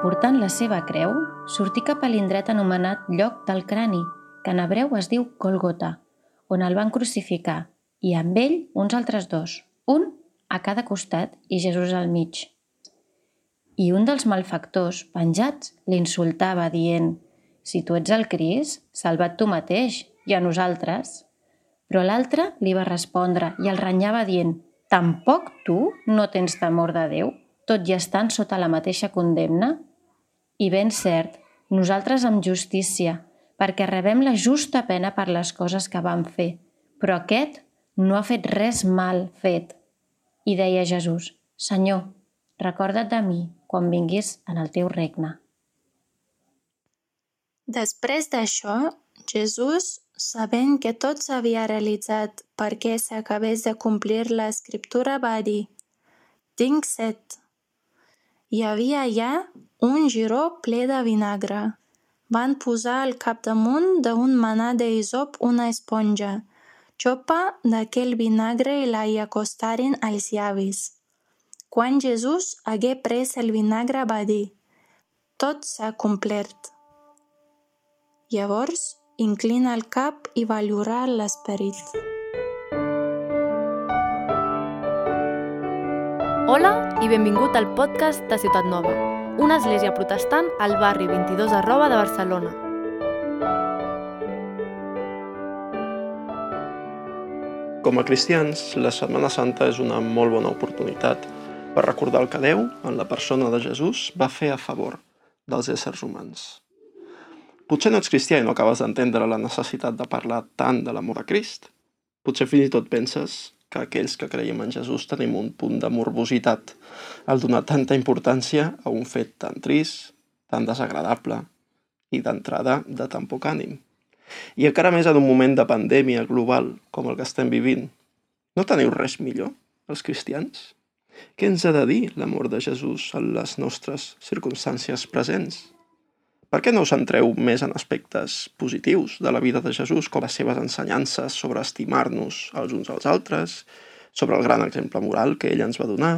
portant la seva creu, sortí cap a l'indret anomenat lloc del crani, que en hebreu es diu Gòlgota, on el van crucificar, i amb ell uns altres dos, un a cada costat i Jesús al mig. I un dels malfactors, penjats, l'insultava dient: «Si tu ets el Crist, salva't tu mateix i a nosaltres». Però l'altre li va respondre i el renyava dient: «Tampoc tu no tens temor de Déu, tot i estant sota la mateixa condemna? I ben cert, nosaltres amb justícia, perquè rebem la justa pena per les coses que vam fer, però aquest no ha fet res mal fet». I deia Jesús: «Senyor, recorda't de mi quan vinguis en el teu regne». Després d'això, Jesús, sabent que tot s'havia realitzat perquè s'acabés de complir l'escriptura, va dir: «Tinc set». Hi havia allà un giró ple de vinagre. Van posar al capdamunt d'un manà d'hisop una esponja, xopa d'aquell vinagre i la hi acostaren als llavis. Quan Jesús hagué pres el vinagre va dir: «Tot s'ha complert». Llavors, inclina el cap i va llorar l'esperit. Hola i benvingut al podcast de Ciutat Nova, una església protestant al barri 22 Arroba de Barcelona. Com a cristians, la Setmana Santa és una molt bona oportunitat per recordar el que Déu, en la persona de Jesús, va fer a favor dels éssers humans. Potser no ets cristià i no acabes d'entendre la necessitat de parlar tant de l'amor a Crist. Potser fins i tot penses que aquells que creiem en Jesús tenim un punt de morbositat al donar tanta importància a un fet tan trist, tan desagradable i d'entrada de tan poc ànim. I encara més en un moment de pandèmia global com el que estem vivint. No teniu res millor, els cristians? Què ens ha de dir l'amor de Jesús en les nostres circumstàncies presents? Per què no us centreu més en aspectes positius de la vida de Jesús, com les seves ensenyances sobre estimar-nos els uns als altres, sobre el gran exemple moral que ell ens va donar,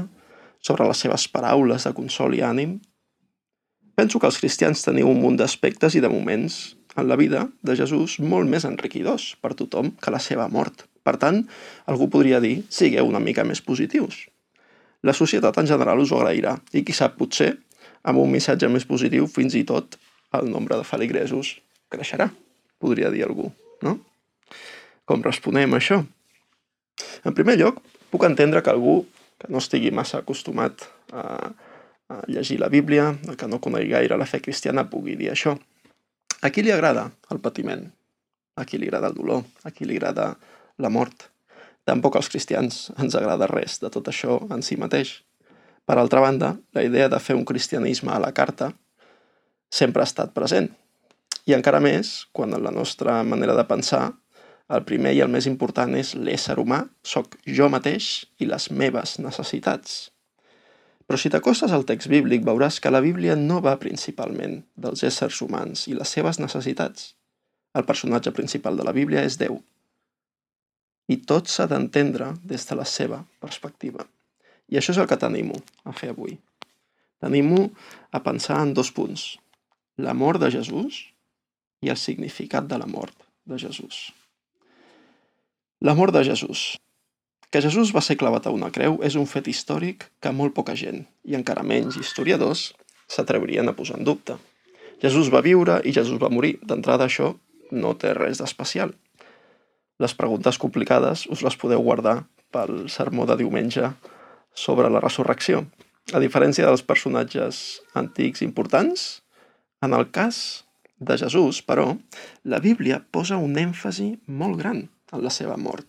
sobre les seves paraules de consol i ànim? Penso que els cristians teniu un munt d'aspectes i de moments en la vida de Jesús molt més enriquidors per tothom que la seva mort. Per tant, algú podria dir: sigueu una mica més positius. La societat en general us ho agrairà i qui sap, potser, amb un missatge més positiu, fins i tot el nombre de feligresos creixerà, podria dir algú, no? Com responem a això? En primer lloc, puc entendre que algú que no estigui massa acostumat a llegir la Bíblia, que no conegui gaire la fe cristiana, pugui dir això. A qui li agrada el patiment? A qui li agrada el dolor? A qui li agrada la mort? Tampoc als cristians ens agrada res de tot això en si mateix. Per altra banda, la idea de fer un cristianisme a la carta sempre ha estat present. I encara més, quan en la nostra manera de pensar, el primer i el més important és l'ésser humà, soc jo mateix i les meves necessitats. Però si t'acostes al text bíblic veuràs que la Bíblia no va principalment dels éssers humans i les seves necessitats. El personatge principal de la Bíblia és Déu. I tot s'ha d'entendre des de la seva perspectiva. I això és el que t'animo a fer avui. T'animo a pensar en dos punts: l'amor de Jesús i el significat de la mort de Jesús. L'amor de Jesús. Que Jesús va ser clavat a una creu és un fet històric que molt poca gent, i encara menys historiadors, s'atrevien a posar en dubte. Jesús va viure i Jesús va morir. D'entrada, això no té res d'especial. Les preguntes complicades us les podeu guardar pel sermó de diumenge sobre la resurrecció. A diferència dels personatges antics importants, en el cas de Jesús, però, la Bíblia posa un èmfasi molt gran en la seva mort.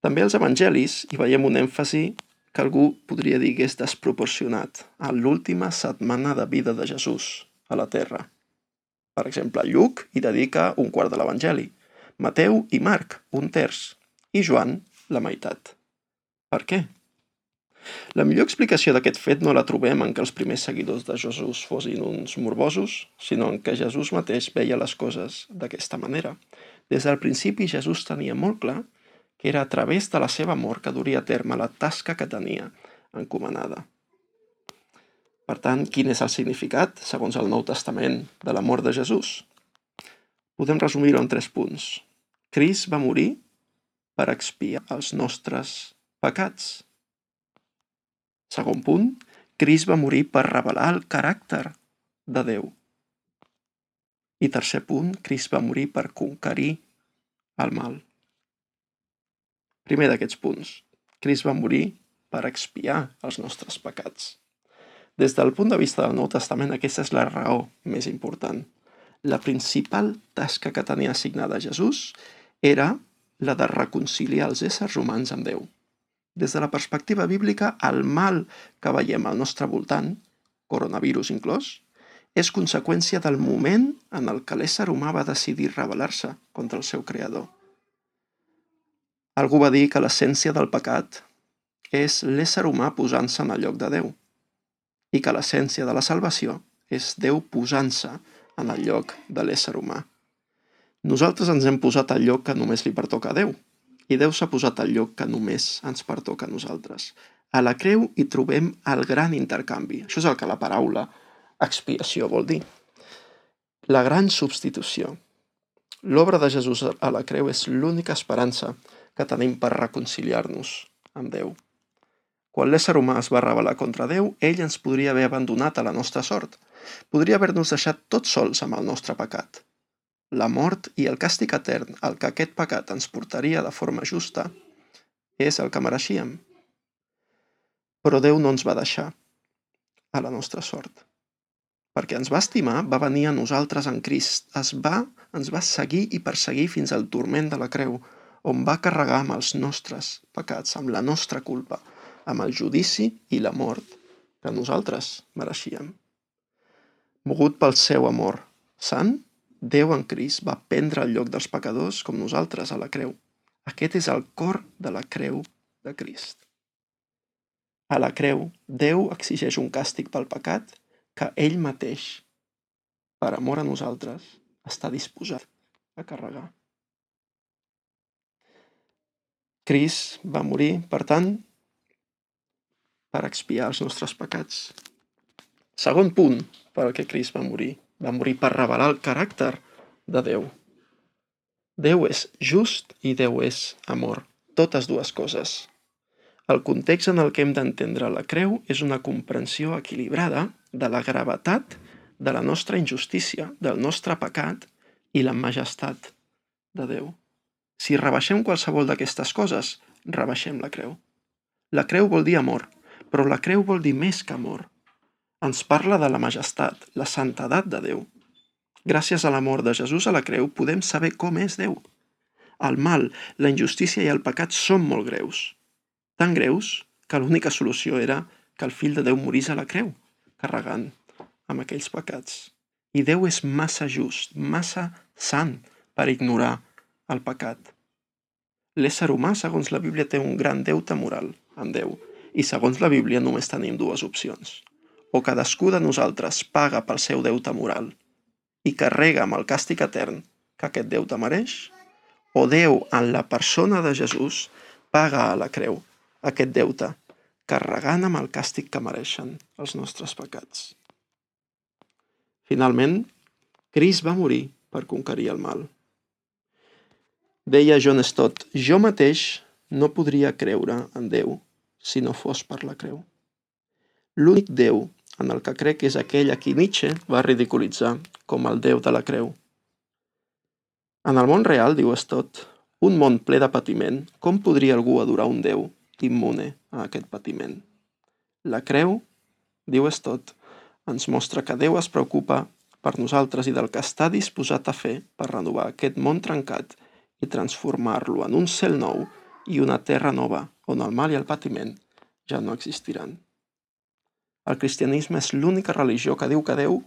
També als evangelis hi veiem un èmfasi que algú podria dir que és desproporcionat a l'última setmana de vida de Jesús a la terra. Per exemple, Lluc hi dedica un quart de l'evangeli, Mateu i Marc un terç, i Joan la meitat. Per què? La millor explicació d'aquest fet no la trobem en que els primers seguidors de Jesús fossin uns morbosos, sinó en que Jesús mateix veia les coses d'aquesta manera. Des del principi Jesús tenia molt clar que era a través de la seva mort que duria a terme la tasca que tenia encomanada. Per tant, quin és el significat, segons el Nou Testament, de la mort de Jesús? Podem resumir-ho en 3 punts. Crist va morir per expiar els nostres pecats. Segon punt, Crist va morir per revelar el caràcter de Déu. I tercer punt, Crist va morir per conquerir el mal. Primer d'aquests punts, Crist va morir per expiar els nostres pecats. Des del punt de vista del Nou Testament, aquesta és la raó més important. La principal tasca que tenia assignada Jesús era la de reconciliar els éssers humans amb Déu. Des de la perspectiva bíblica, el mal que veiem al nostre voltant, coronavirus inclòs, és conseqüència del moment en el que l'ésser humà va decidir rebel·lar-se contra el seu creador. Algú va dir que l'essència del pecat és l'ésser humà posant-se en el lloc de Déu i que l'essència de la salvació és Déu posant-se en el lloc de l'ésser humà. Nosaltres ens hem posat al lloc que només li pertoca a Déu i Déu s'ha posat al lloc que només ens pertoca a nosaltres. A la creu hi trobem el gran intercanvi. Això és el que la paraula expiació vol dir. La gran substitució. L'obra de Jesús a la creu és l'única esperança que tenim per reconciliar-nos amb Déu. Quan l'ésser humà es va rebel·lar contra Déu, ell ens podria haver abandonat a la nostra sort. Podria haver-nos deixat tots sols amb el nostre pecat. La mort i el càstig etern al que aquest pecat ens portaria de forma justa és el que mereixíem. Però Déu no ens va deixar a la nostra sort. Perquè ens va estimar, va venir a nosaltres en Crist. Ens va seguir i perseguir fins al turment de la creu, on va carregar amb els nostres pecats, amb la nostra culpa, amb el judici i la mort que nosaltres mereixíem. Mogut pel seu amor sant, Déu en Crist va prendre el lloc dels pecadors com nosaltres a la creu. Aquest és el cor de la creu de Crist. A la creu, Déu exigeix un càstig pel pecat que ell mateix, per amor a nosaltres, està disposat a carregar. Crist va morir, per tant, per expiar els nostres pecats. Segon punt per al que Crist va morir. Va morir per revelar el caràcter de Déu. Déu és just i Déu és amor. Totes dues coses. El context en el que hem d'entendre la creu és una comprensió equilibrada de la gravetat de la nostra injustícia, del nostre pecat i la majestat de Déu. Si rebaixem qualsevol d'aquestes coses, rebaixem la creu. La creu vol dir amor, però la creu vol dir més que amor. Ens parla de la majestat, la santedat de Déu. Gràcies a l'amor de Jesús a la creu podem saber com és Déu. El mal, la injustícia i el pecat són molt greus. Tan greus que l'única solució era que el fill de Déu morís a la creu, carregant amb aquells pecats. I Déu és massa just, massa sant per ignorar el pecat. L'ésser humà, segons la Bíblia, té un gran deute moral amb Déu. I segons la Bíblia només tenim dues opcions. O cadascú de nosaltres paga pel seu deute moral i carrega amb el càstig etern que aquest deute mereix, o Déu, en la persona de Jesús, paga a la creu aquest deute, carregant amb el càstig que mereixen els nostres pecats. Finalment, Crist va morir per conquerir el mal. Deia John Stott, jo mateix no podria creure en Déu si no fos per la creu. L'únic Déu en el que crec és aquell a qui Nietzsche va ridiculitzar com el Déu de la creu. En el món real, diu Stott, un món ple de patiment, com podria algú adorar un Déu immune a aquest patiment? La creu, diu Stott, ens mostra que Déu es preocupa per nosaltres i del que està disposat a fer per renovar aquest món trencat i transformar-lo en un cel nou i una terra nova on el mal i el patiment ja no existiran. El cristianisme és l'única religió que diu que Déu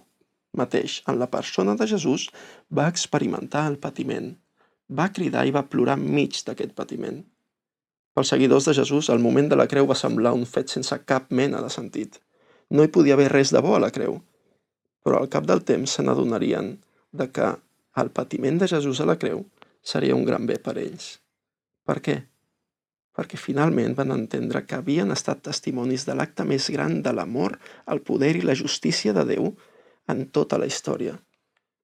mateix, en la persona de Jesús, va experimentar el patiment, va cridar i va plorar enmig d'aquest patiment. Pels seguidors de Jesús, el moment de la creu va semblar un fet sense cap mena de sentit. No hi podia haver res de bo a la creu, però al cap del temps se n'adonarien de que el patiment de Jesús a la creu seria un gran bé per ells. Per què? perquè finalment van entendre que havien estat testimonis de l'acte més gran de l'amor, el poder i la justícia de Déu en tota la història.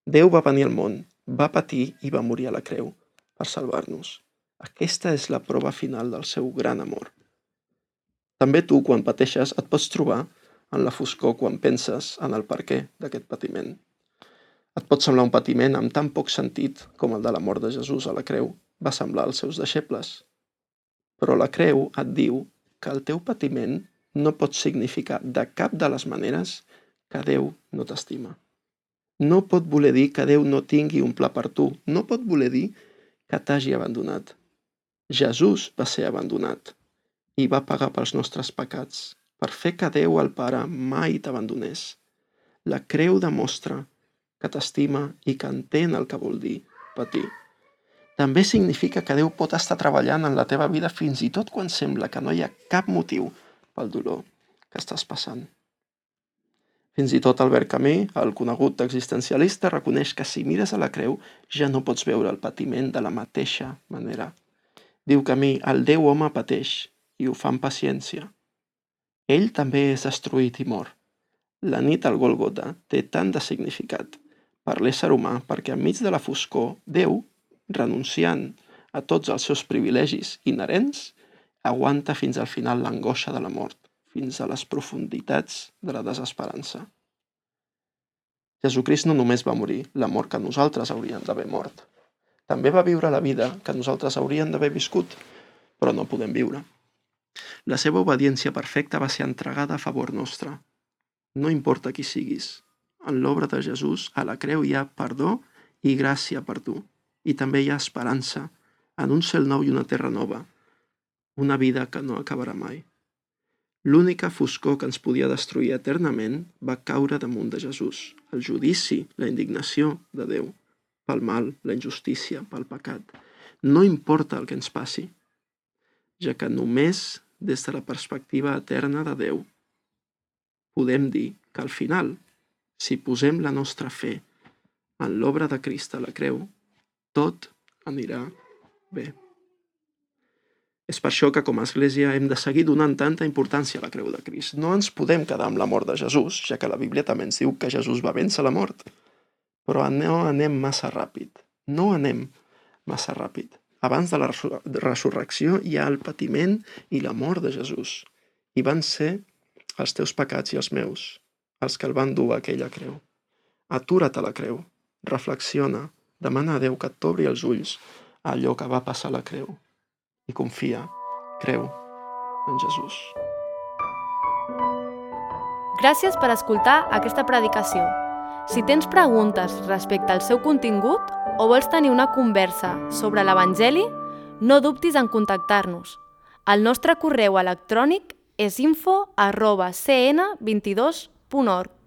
Déu va venir al món, va patir i va morir a la creu per salvar-nos. Aquesta és la prova final del seu gran amor. També tu, quan pateixes, et pots trobar en la foscor quan penses en el perquè d'aquest patiment. Et pot semblar un patiment amb tan poc sentit com el de la mort de Jesús a la creu va semblar als seus deixebles. Però la creu et diu que el teu patiment no pot significar de cap de les maneres que Déu no t'estima. No pot voler dir que Déu no tingui un pla per tu. No pot voler dir que t'hagi abandonat. Jesús va ser abandonat i va pagar pels nostres pecats per fer que Déu el Pare mai t'abandonés. La creu demostra que t'estima i que entén el que vol dir patir. També significa que Déu pot estar treballant en la teva vida fins i tot quan sembla que no hi ha cap motiu pel dolor que estàs passant. Fins i tot Albert Camus, el conegut existencialista, reconeix que si mires a la creu ja no pots veure el patiment de la mateixa manera. Diu Camus, el Déu home pateix i ho fa amb paciència. Ell també és destruït i mor. La nit al Gòlgota té tant de significat per l'ésser humà perquè enmig de la foscor, Déu, renunciant a tots els seus privilegis inherents, aguanta fins al final l'angoixa de la mort, fins a les profunditats de la desesperança. Jesucrist no només va morir la mort que nosaltres hauríem d'haver mort. També va viure la vida que nosaltres hauríem d'haver viscut, però no podem viure. La seva obediència perfecta va ser entregada a favor nostre. No importa qui siguis, en l'obra de Jesús, a la creu hi ha perdó i gràcia per tu. I també hi ha esperança en un cel nou i una terra nova, una vida que no acabarà mai. L'única foscor que ens podia destruir eternament va caure damunt de Jesús. El judici, la indignació de Déu, pel mal, la injustícia, pel pecat. No importa el que ens passi, ja que només des de la perspectiva eterna de Déu podem dir que al final, si posem la nostra fe en l'obra de Crist a la creu, tot anirà bé. És per això que com a Església hem de seguir donant tanta importància a la creu de Crist. No ens podem quedar amb la mort de Jesús, ja que la Bíblia també ens diu que Jesús va vèncer la mort. Però no anem massa ràpid. No anem massa ràpid. Abans de la resurrecció hi ha el patiment i la mort de Jesús. I van ser els teus pecats i els meus, els que el van dur a aquella creu. Atura't a la creu, reflexiona, demana a Déu que t'obri els ulls a allò que va passar a la creu. I confia, creu en Jesús. Gràcies per escoltar aquesta predicació. Si tens preguntes respecte al seu contingut o vols tenir una conversa sobre l'Evangeli, no dubtis en contactar-nos. El nostre correu electrònic és info@cn22.org.